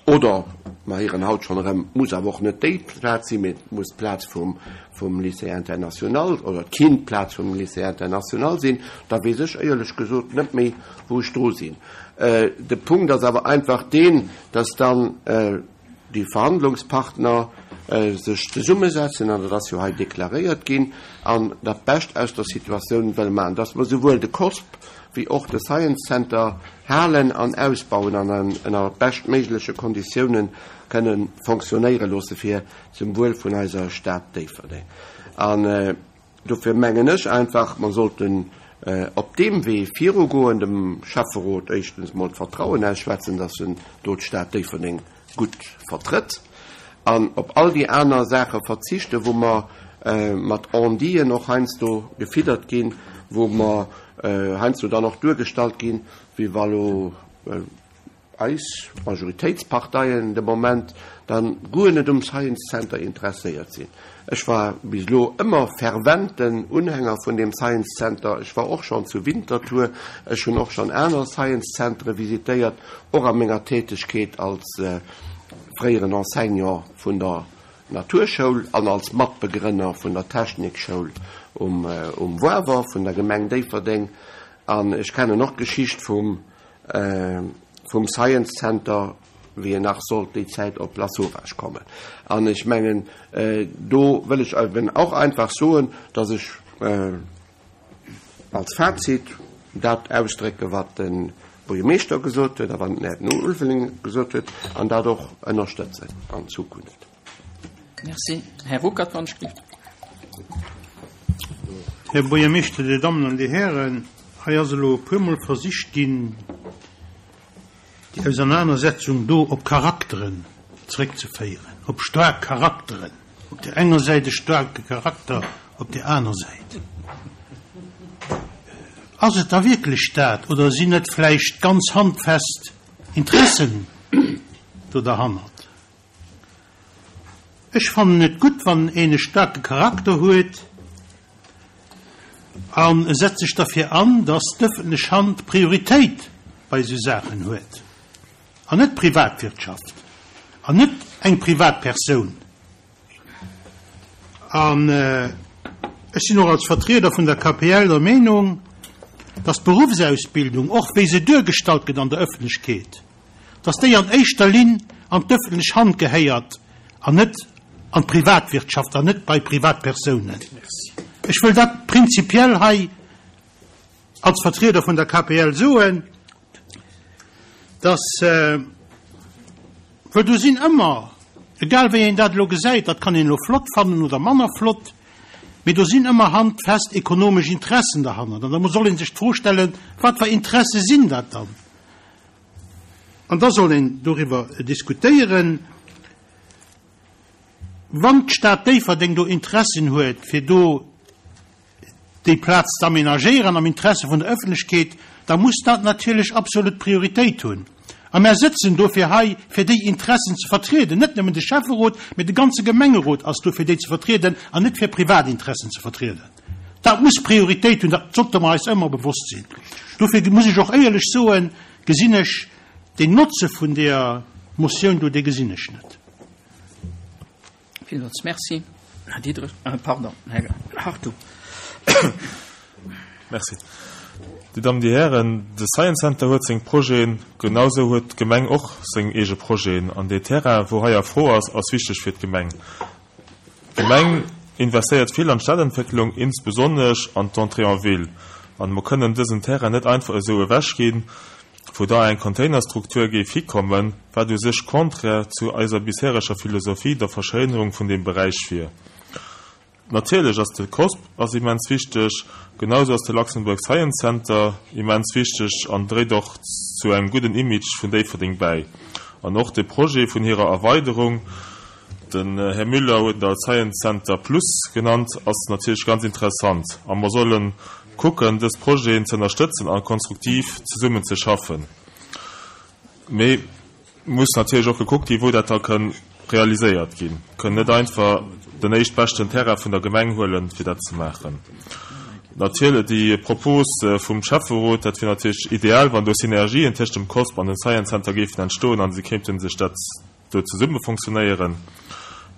Oder, mer héieren haut schonn erëm, et muss awer och net déi Plaz sinn, mee et muss d'Plaz vum, vum Lycée international oder et kinnt d'Plaz vum Lycée international sinn, da weess ech éierlech gesot net méi, wou ech dru sinn. De Punkt ass awer einfach deen, dass dann déi Verhandlungspartner sech zesummesetzen, an dat ass jo hei deklaréiert ginn, an dat Bescht aus der Situatioun wëlle maachen, dass mer souwuel de COSP wéi och de Science Center halen an ausbauen an en ënner beschtméigleche Konditioune kënne fonctionnéiere loosse fir zum Wuel vun eiser Stad Déifferdeng. An dofir mengen ech einfach, mer sollten op deem Wee virugoen, dem Schäfferot éischtens emol d'Vertrauen ausschwätzen, dass en do d'Stad Déifferdeng gutt vertrëtt, an op all déi aner Saache verzichten, wou mer mat On-diten och heiansdo gefiddert ginn, wou mer heiansdo dann och duergestallt ginn, wéi wa lo eis Majoritéitsparteien de Moment dann guer net um Science Center interesséiert sinn. Ech war bis elo ëmmer ferventen Unhänger vun deem Science Center. Ech war och schonn zu Winterthur, ech hunn och schonn aner Science Centere visitéiert, och a menger Tätegkeet als fréieren Enseignant vun der Naturschoul an als Matbegrënner vun der Technikschoul um Wawer vun der Gemeng Déifferdeng. An ech kennen och d'Geschicht vum Science Center wéi en nach sollt déi Zäit op Lasauvage kommen. An ech mengen, do wëll ech eben och einfach soen, dass ech als Fazit dat ausdrécken, wat de Buergermeeschter gesot huet a wat den Här Ulveling gesot huet, an dat och ënnerstëtzen an Zukunft. Merci. Här Ruckert, wann ech gelift. Här Buergermeeschter, Dir Dammen an Dir Hären, hei ass elo e puermol versicht ginn, déi Ausernanersetzung do op Charakteren zréckzeféieren, op staark Charakteren, op där enger Säit e staarke Charakter, op där aner Säit. Ass et da wierklech dat oder sinn net vläicht ganz handfest Interessen do derhannert? Ech fannen et gutt, wann een e staarke Charakter huet an e setzt sech derfir an, dass d'ëffentlech Hand Prioritéit bei esou Saachen huet. An net d'Privatwirtschaft an net eng Privatpersoun. An ech sinn och als Vertrieder vun der KPL der Meenung, dass d'Beruffsausbildung, och wéi se duergestallt gëtt an der Öffentlechkeet, dass déi an éischter Linn an d'öffentlech Hand gehéiert an net an d'Privatwirtschaft an net bei Privatpersounen. Ech wëll dat prinzipiell hei als Vertrieder vun der KPL soen, dass, well do sinn ëmmer, egal wéi een dat elo gesäit, dat kann een elo flott fannen oder manner flott, mee do sinn ëmmer handfest ekonomesch Interessen derhannert. An da soll ee sech d'Fro stellen, Wat fir Interesse sinn dat dann? An da soll een doriwwer diskutéieren. Wann d'Stad Déifferdeng do Interessen huet, fir do déi Plaz ze aménagéieren am Interesse vun der Ëffentlechkeet, da muss dat natierlech absolut Prioritéit hunn. A mär sëtzen dofir hei, fir déi Interessen ze vertrieden. Net nëmmen de Schäfferot, mee de ganze Gemengerot ass do, fir déi ze vertrieden an net fir Privatinteressen ze vertrieden. Dat muss Prioritéit hunn, dat sollte mer eis ëmmer bewosst sinn. Dofir muss ech och éierlech soen, gesinn ech den Notze vun deeër Motioun do, dee gesinn ech net. Villmools Merci, Här Diderich, pardon, Här Hartung. Merci. Dir Dammen, Dir Hären, de Science Center huet seng Projeten, genausou huet d'Gemeng och seng eege Projeten. An dee Terrain, wou hei a Fro ass, ass wichteg fir d'Gemeng. D'Gemeng investéiert vill an d'Stadentwécklung, insbesonnesch an d'Entrée en ville. An mer kënnen dësen Terrain net einfach esou ewechginn. wou da eng Containerstruktur géif hikommen, wat u sech contraire zu eiser bishereger Philosophie der Verschéinerung vun deem Beräich wier. Natierlech ass de COSP ass immens wichteg, genausou ass de Luxembourg Science Center immens wichteg an dréit och zu engem gudden Image vun Déifferdeng bäi. An och de Projet vun hirer Erweiderung, den Här Müller huet et als Science Center Plus genannt, ass natierlech ganz interessant a mer sollen kucken, dës Projeten ze ënnerstëtzen a konstruktiv zesummen ze schaffen. Mee muss natierlech och gekuckt ginn, wou dat da kënn realiséiert ginn. Kënn net einfach den éischtbeschten Terrain vun der Gemeng huelen, fir dat ze maachen. Natierlech, déi Propos vum Schäfferot, dat wier natierlech ideal, wann do Synergien tëscht dem COSP an dem Science Center géifen entstoen a se kéinte sech dat do zesumme fonctionnéieren.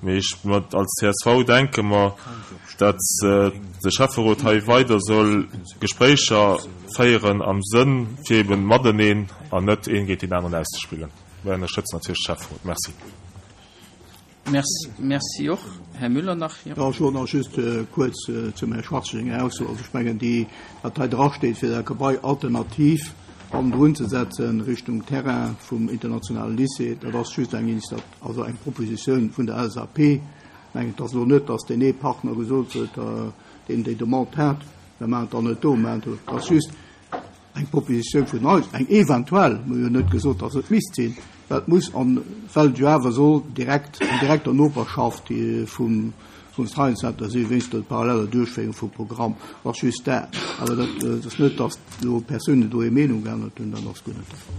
Mee ech, als csv denke mer, datt de Schäfferot hei weider soll Gespréicher féieren am Sënn fir eben mateneen an net een géint deen aneren auszespillen. Mir ënnerstëtzen natierlech de Schäfferot. Merci. Merci och. Här Müller nach. Jo, ech wollt nach just kuerz zum Här Schwarz senger Ausso, also ech mengen déi, wat hei drasteet, fir dat Gebai alternativ hannendrun ze setzen Richtung Terrain vum internationale Lycée, dat ass just eng Initiat, also eng Propositioun vun der LSAP. Ech mengen, et ass elo net, datt deen ee Partner gesot huet, deen déi Demande hat, mir maachen et dann net do, mir maachen et do. Et ass just eng Propositioun vun eis, eng eventuell, mir hu jo net gesot, datt et misst sinn, well et muss an, well et jo awer soll direkt an direkter Noperschaft vum vum Science Center sinn, wéinst der paralleller Duerchféierung vum Programm. Ass just dat. Awer dat ass net, datt elo Persounen do hir Meenung geännert hunn, dat ass guer net de Fall.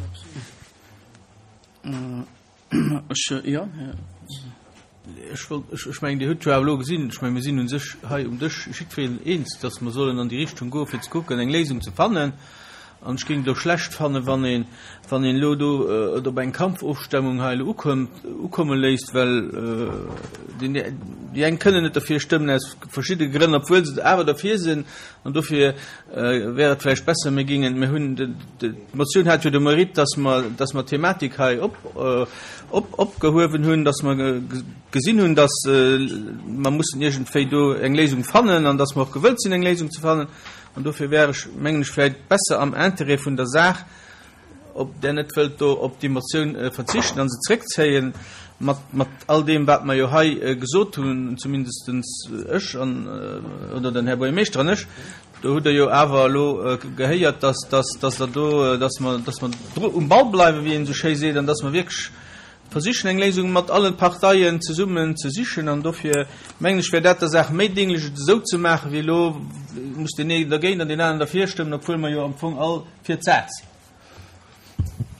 Ech, jo, Här. Ech wollt, ech, ech mengen, Dir hutt jo awer elo gesinn, ech mengen, mir sinn u sech hei um Dësch jiddwereen eens, dass mer sollen an déi Richtung goen, fir ze kucken, eng Léisung ze fannen. An ech géing et och schlecht fannen, wann een, wann een elo do et op eng Kampfofstemmung hei elo ukommt, ukomme léisst, well déi, déi eng kënnen net derfir stëmmen aus verschidde Grënn, obwuel se awer derfir sinn. An dofir wär et vläicht besser, mir géingen, mir hunn, d'Motioun hat jo de Mérite, dass mer, dass mer d'Thematik hei op, op, opgehuewen hunn, dass mer gesinn hunn, dass mer mussen iergendwéi do eng Léisung fannen an dass mer och gewëllt sinn, eng Léisung ze fannen. An dofir wär ech, mengen ech, vläicht besser am Intérêt vun der Saach, ob Der net wëllt do op déi Motioun verzichten a se zréckzéien, mat, mat all deem, wat mer jo hei gesot hunn, zumindestens ech an, oder den Här Buergermeeschter an ech, do hutt Der jo awer elo gehéiert, dass, dass, dass Der do, dass mer, dass mer dru um Ball bleiwen, wéi een esou schéi seet, an dass mer wierklech versichen, eng Léisung mat allen Parteien zesummen ze sichen. An dofir mengen ech, wär dat der Saach méi dénglech, et esou ze maachen, wéi elo muss deen een dergéint an deen aneren derfir stëmmen, obwuel mer jo am Fong all fir d'Saach sinn.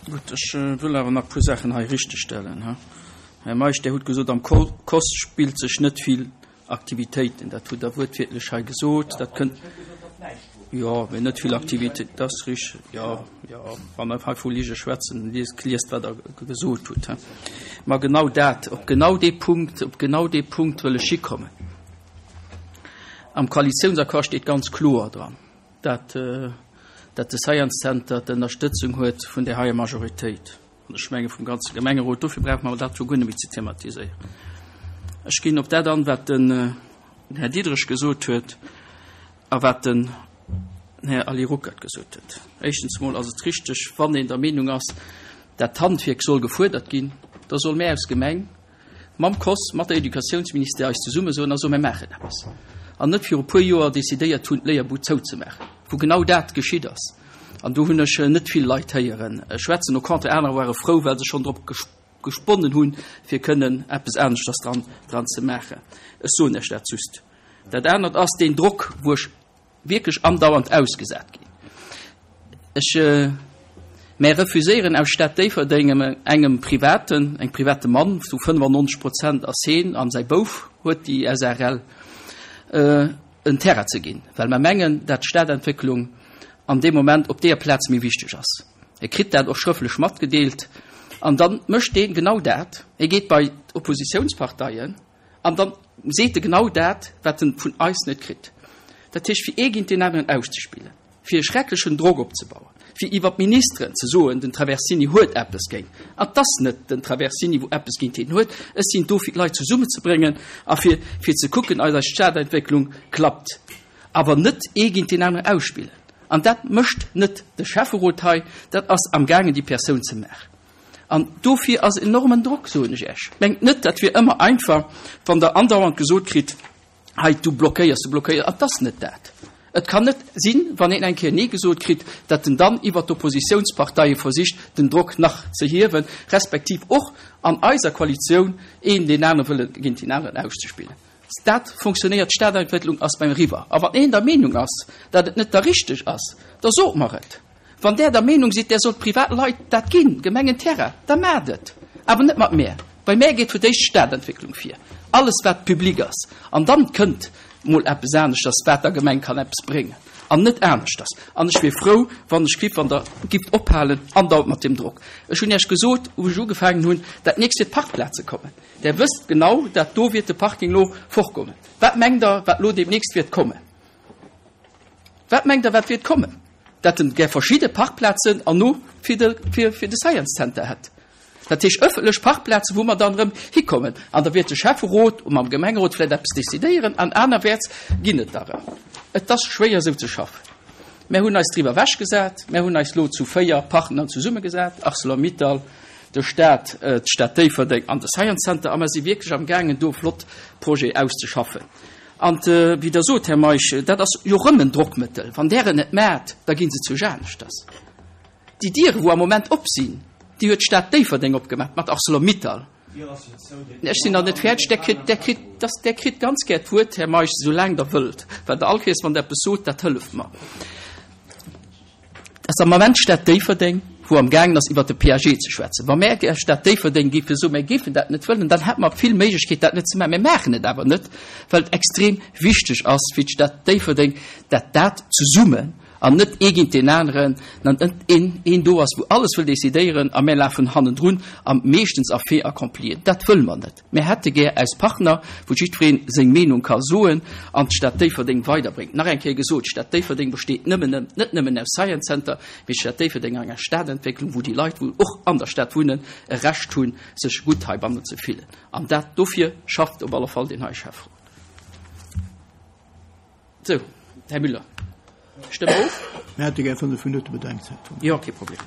Gutt, ech wëll awer nach e puer Saachen hei richtegstellen. Här Meisch, Dir hutt gesot, am COS spillt sech net vill Aktivitéiten. Dat hutt Der wuertwiertlech hei gesot. Dat kënnt. Jo, mee net vill Aktivitéit, dat ass richteg. Jo, jo, wa mer hei vu Lige schwätzen, liest, liest wat Der gesot hutt. Ma genau dat, op genau dee Punkt, op genau dee Punkt wëll ech hikommen. Am Koalitiounsaccord steet ganz kloer dran, dat, dat de Science Center d'Ënnerstëtzung huet vun där heier Majoritéit. An ech menge vum ganze Gemengerot. Dofir brauche mer dat jo guer net méi ze thematiséieren. Ech ginn op dat an, wat den Här Diderich gesot huet a wat den Här Ali Ruckert gesot huet. Éischtens emol ass et richteg, wann een der Meenung ass, dat d'Handwierk soll gefuerdert ginn, da soll mär als Gemeng mam COS, mat der Educatiounsministère eis zesummesoen a soen, Mir maachen eppes. An net viru puer Joer decidéiert hunn, d'Léierbud zouzemaachen, wou genau dat geschitt ass. An do hunn ech net vill Leit héiere schwätzen. Au contraire, anerer ware frou, well se schonn drop gesponnen hunn, fir kënnen eppes aneschters dran, dran ze maachen. Ech soen Iech dat just. Dat anert ass deen Drock, wou ech wierklech andauernd ausgesat ginn. Ech, mär refuséieren aus Stad Déifferdeng engem privaten, engem private Mann, zu 95 Prozent ass heen an säi Bouf huet déi SARL, en Terrain ze ginn, well mer mengen, dat d'Stadentwécklung an deem Moment op deeër Plaz méi wichteg ass. E kritt dat och schrëfflech matgedeelt an da mécht dee genau dat, e geet bei d'Oppositiounsparteien an da seet e genau dat, wat en vun eis net kritt. Dat heescht, fir ee géint deen aneren auszespillen, fir e schrecklechen Drock opzebauen, fir iwwer d'Ministeren ze soen, den Traversini huet eppes géint. An 't ass net den Traversini, wou eppes géint hien huet. Ech sinn do, fir d'Leit zesummenzebréngen a fir, fir ze kucken, eis eis Stadentwécklung klappt. Awer net ee géint deen aneren ausspillen. An dat mécht net de Schäfferot hei, dat ass amgaangen déi Persoun ze maachen. An dofir ass enormen Drock, soen ech Iech. Mengt net, dat wier ëmmer einfach, wann Der andauernd gesot kritt, hei, du blockéiers, du blockéiers. Et ass net dat. Et kann net sinn, wann een eng Kéier Nee gesot kritt, datt en dann iwwert d'Oppositiounsparteie versicht, den Drock nach ze hiewen, respektiv och an eiser Koalitioun een deen anere wëlle géint deen aneren auszespillen. Dat fonctionnéiert, d'Stadentwécklung ass beim eriwwer. A wann een der Meenung ass, datt et net da richteg ass, da sot mer et. Wann Där der Meenung sidd, Där sollt privat Leit dat ginn, Gemengenterrain, da maacht et. Awer net mat mär. Bei mär geet fir d'éischt d'Stadentwécklung vir, alles wat public ass. An dann kënnt mol eppes aneschters, wat der Gemeng kann eppes bréngen, an net aneschters. An ech wier frou, wann ech giff, wann Der gifft ophalen andauernd mat deem Drock. Ech hunn Iech gesot, wou ech ugefaangen hunn, dat nächst wier d'Parkplaze kommen. Där wësst genau, dat do wiert de Parking lo fortkommen. Wat mengt Der, wat lo deemnächst wiert kommen? Wat mengt Der, wat wiert kommen? Dat en gär verschidde Parkplazen an no fir de, fir, fir de Science Center hätt. Dat heescht ëffentlech Parkplazen, wou mer dann erëm hikommen. An da wiert de Schäfferot mam Gemengerot vläicht eppes decidéieren an anerwäerts ginn et der erëm. Et ass schwéier esou ze schaffen. Mär hunn eis driwwer ewechgesat. Mär hunn eis lo zu 4 Partner zesummegesat, Arcelor-Mittal, de Staat, d'Stad Déifferdeng an de Science Center a mer si wierklech am gaangen do flott Projete auszeschaffen. An wéi Der sot, Här Meisch, dat ass jo rëm en Drockmëttel. Wann Der et net maacht, da gi se zu aneschters. Déi Diere wou am Moment op sinn, déi huet d'Stad Déifferdeng opgemaach mat Arcelor-Mittal. Ech sinn nach net fäerdeg. Der kritt, der kritt, dass, der kritt ganz gär d'Wuert, Här Meisch, esou laang Der wëllt, well Der all Kéiers, wann Der eppes sot, dat hëlleft mer. Et ass am Ament d'Stad Déifferdeng, wou am gaangen ass, iwwert de PAG ze schwätzen. Wa mär gär Stad Déifferdeng géife soen, mär géifen dat net wëllen, dann hätte mer vill Méiglechkeet, dat net ze maachen. Mär maachen et awer net, well et extrem wichteg ass fir d'Stad Déifferdeng, dat dat zesummen an net ee géint deen aneren, an net een, een do ass, wou alles wëll decidéieren a mär lafen hannendrun a meeschtens a Fait accomplien. Dat wëlle mer net. Mär hätte gär eis Partner, wou jiddweree seng Meenung ka soen an d'Stad Déifferdeng weiderbréngt. Nach eng Kéier gesot, D'Stad Déifferdeng besteet nëmmen, net nëmmen aus Science Center, mee d'Stad Déifferdeng ass eng Stadentwécklung, wou déi Leit, wou och an der Stad wunnen, e Recht hunn, sech gutt heibannen ze fillen. An dat, dofir schafft op alle Fall deen hei Schäfferot. Sou, Här Müller, stëmme of. Mir hätte gär 5 Minutte Bedenkzäit. Jo, kee Problem.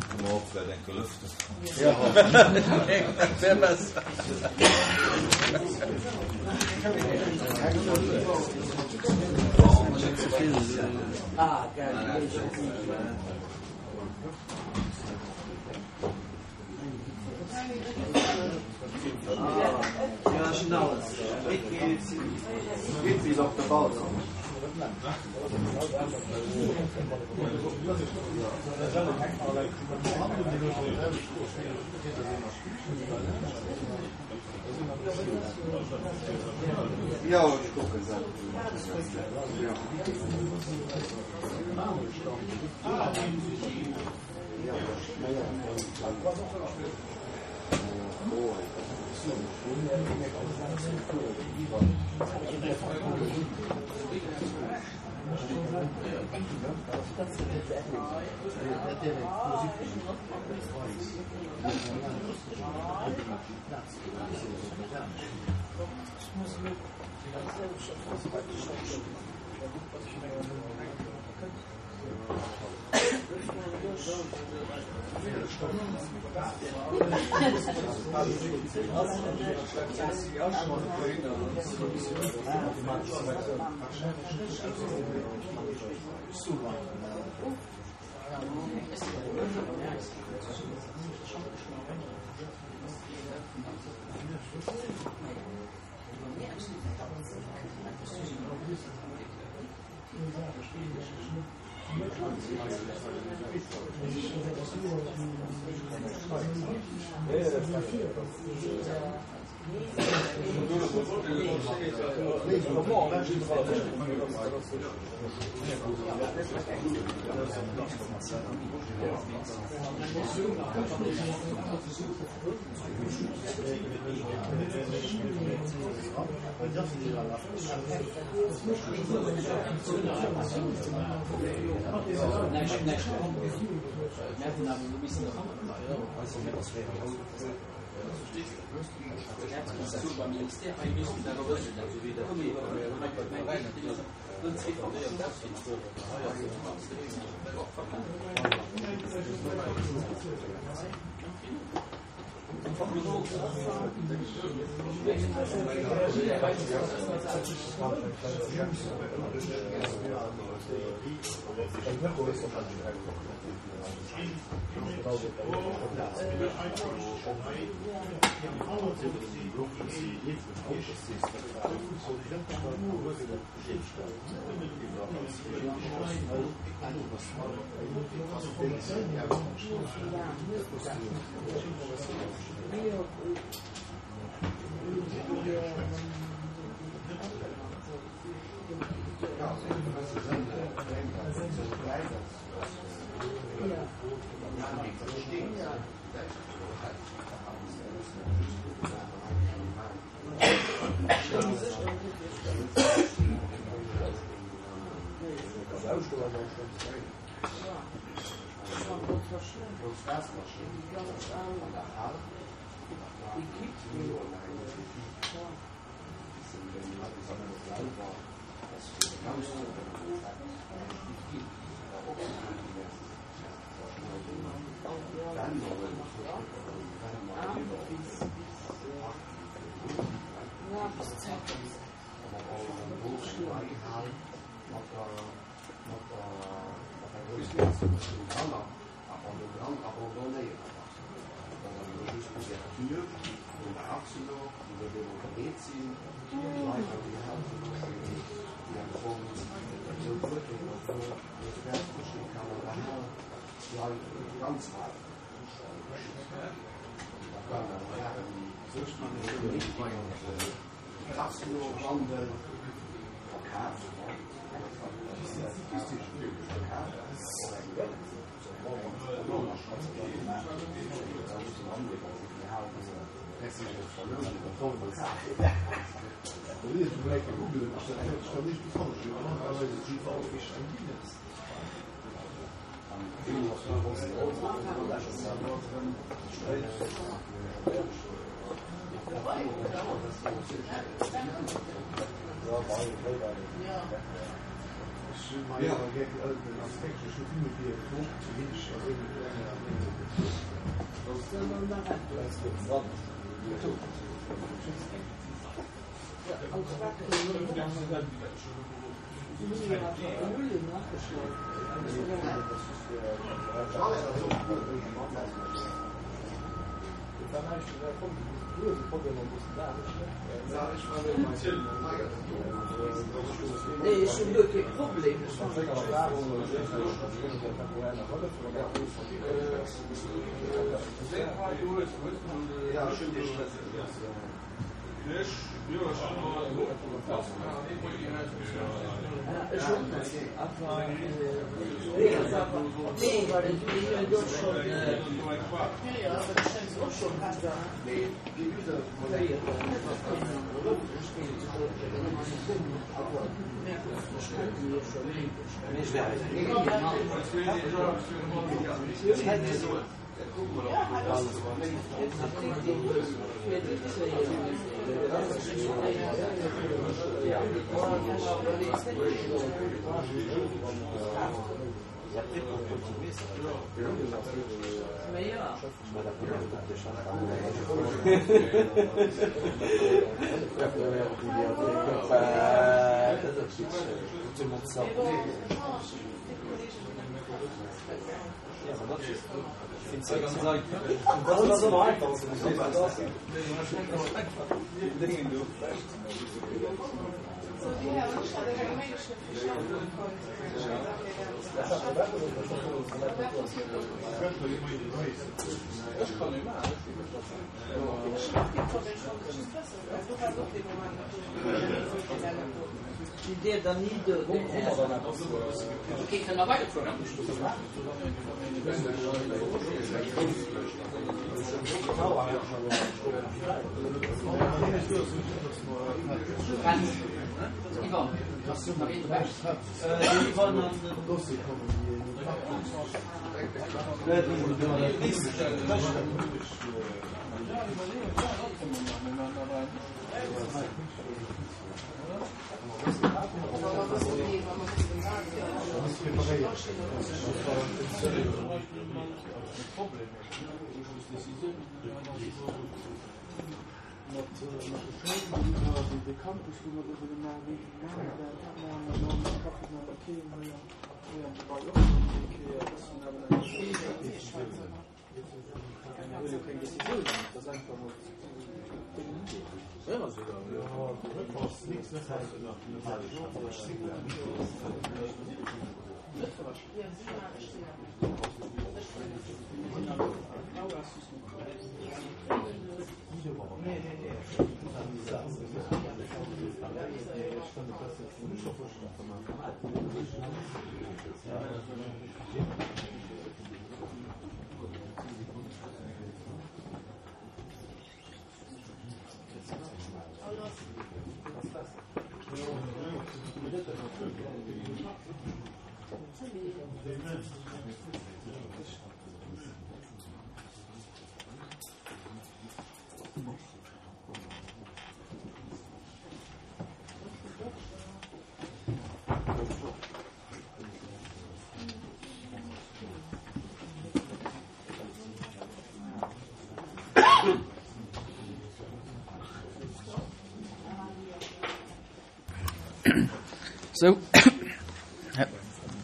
Sou,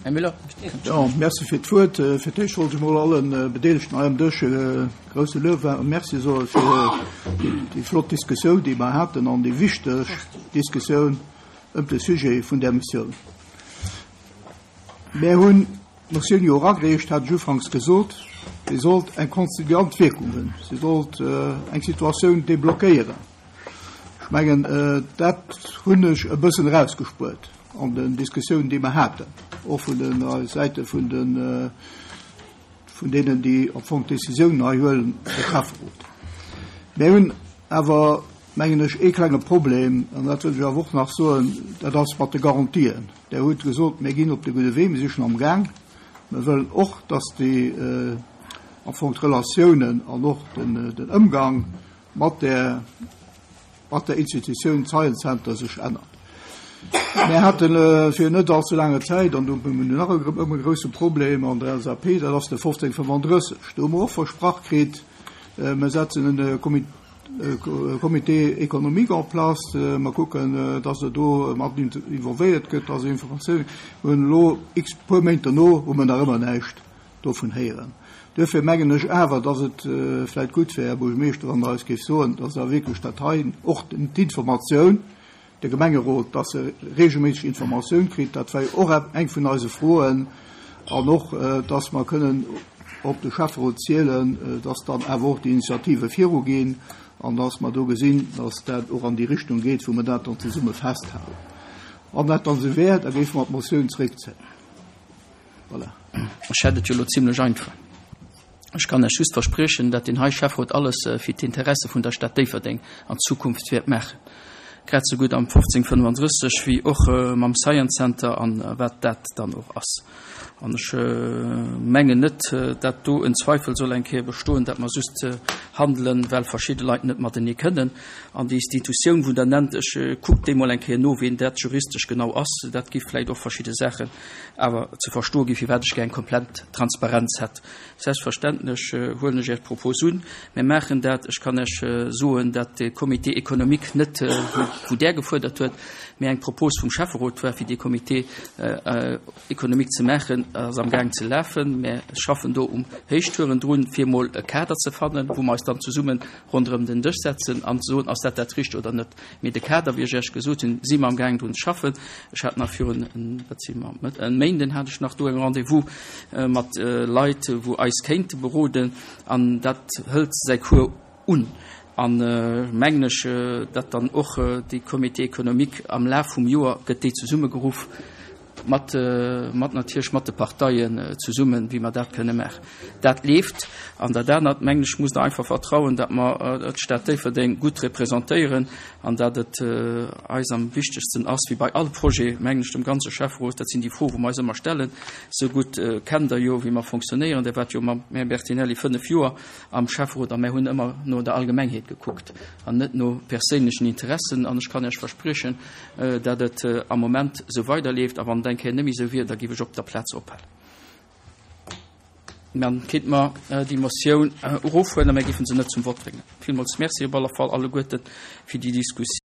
Här Müller. Jo, merci fir d'Wuert. Fir d'éischt wollt ech emol alle Bedeelegten hei am Dësch e grouse Luef a Merci soe fir déi flott Diskussioun, déi mer haten an déi wichteg Diskussioun ëm de Sujet vun där Motioun. Mär hunn d'Motioun jo eragereecht, hat ech ufanks gesot, se sollt eng konziliant Wierkung hunn, se sollt eng Situatioun deblockéieren. Ech mengen, dat hunn ech e bëssen erausgespuert an den Diskussiounen, déi mer haten, och vun de Säite vun de vun deenen, déi am Fong d'Décisiounen hei huelen, de Schäfferot. Mir hunn awer, mengen ech, ee klenge Problem, an dat wëll ech awer och nach soen, dat ass mat de Garantien. Der hutt gesot, mir ginn op de gudde Wee, mir si schonn amgaang. Mir wëllen och, dass déi am Fong d'Relatiounen an och den Ëmgang mat der mat der Institutioun Science Center sech ännert. Mir hate fir net allze laange Zäit, an do hu mir nach ëmmer e grousse Problem an der LSAP, dat ass de 1535. Do hu mer och versprach kritt, mir setzen e Comité économique en place, mer kucken, dass e do mat involvéiert gëtt, dass Informatioun. Mir hunn elo x puer Méint derno hu mer nach ëmmer näischt dovun héieren. Duerfir mengen ech awer, dass et vläicht gutt wär, Här Buergermeeschter, wann Der eis géift soen, dass Der wierklech dat hei, och d'Informatioun, de Gemengerot, dass e regelméisseg Informatioun kritt, dat war jo och eng vun eise Froen, an och, dass mer kënnen op de Schäfferot zielen, dass dann awer och déi Initiative viruginn. An dass mer do gesinn, dass dat och an déi Richtung geet, wou mer dat dann zesumme festhalen. Wann dat dann esou wär, da géife mer d'Motioun zréckzéien. Voilà. Ech hätt et jo elo zimlech einfach. Ech kann lech just verspriechen, dat deen hei Schäfferot alles fir d'Interesse vun der Stad Déifferdeng an Zukunft wäert maachen, grad esou gutt am 1535 wéi och mam Science Center an wat dat dann och ass. An ech mengen net, dat do en Zweifel soll eng Kéier bestoen, dat mer just handelen, well verschidde Leit net matenee kënnen. An déi Institutioun, wou Der nennt, ech kuckt déi mol eng Kéier no, wien dat juristesch genau ass. Dat géif vläicht och verschidde Saachen awer ze verstoe ginn, firwat ech gär eng komplett Transparenz hätt. Selbstverständlech huelen ech Är Propos un. Mir maachen dat. Ech kann Iech soen, dat de Comité économique net, wou Der gefuerdert huet, mä eng Propos vum Schäfferot war, fir dee Comité économique ze maachen, ass amgaang ze lafen. Mir schaffen do um Héichtouren drun, fir emol e Kader ze fannen, wou mer eis dann zesumme ronderëm den Dësch setzen an soen, ass dat dat Richtegt oder net. Mee de Kader, wéi ech Iech gesot hunn, si mer amgaang drun ze schaffen. Ech hat nach virun, wat si mer, e Méinden hat ech nach do eng Rendez-vous mat Leit, wou eis kéinte beroden. An dat hëlt säi Cours un. An mengen ech, datt dann och dee Comité économique am Laf vum Joer gëtt déi zesummegeruff, mat, mat natierlech mat de Parteien zesummen, wéi mer dat kënne maachen. Dat leeft. An dat anert, mengen ech, musst Der einfach vertrauen, datt mer d'Stad Déifferdeng gutt representéieren an datt et eis am wichtegsten ass, wéi bei all Projet, mengen ech, dem ganze Schäfferot, dat sinn déi Froe wou mer eis ëmmer stellen, esou gutt kennt Der jo, wéi mer fonctionnéieren, Der waart jo mam Här Bertinelli fënnf Joer am Schäfferot a mär hunn ëmmer no der Allgemengheet gekuckt an net no perséinlechen Interessen. An ech kann Iech verspriechen, dat et am Moment esou weiderleeft a wann et eng Kéier net méi esou wier, da géif ech op der Plaz ophalen. Dann kéinte mer déi Motioun erofhuelen a mir géife se net zum Vott bréngen. Villmools Merci op alle Fall alleguerte fir déi Diskussioun.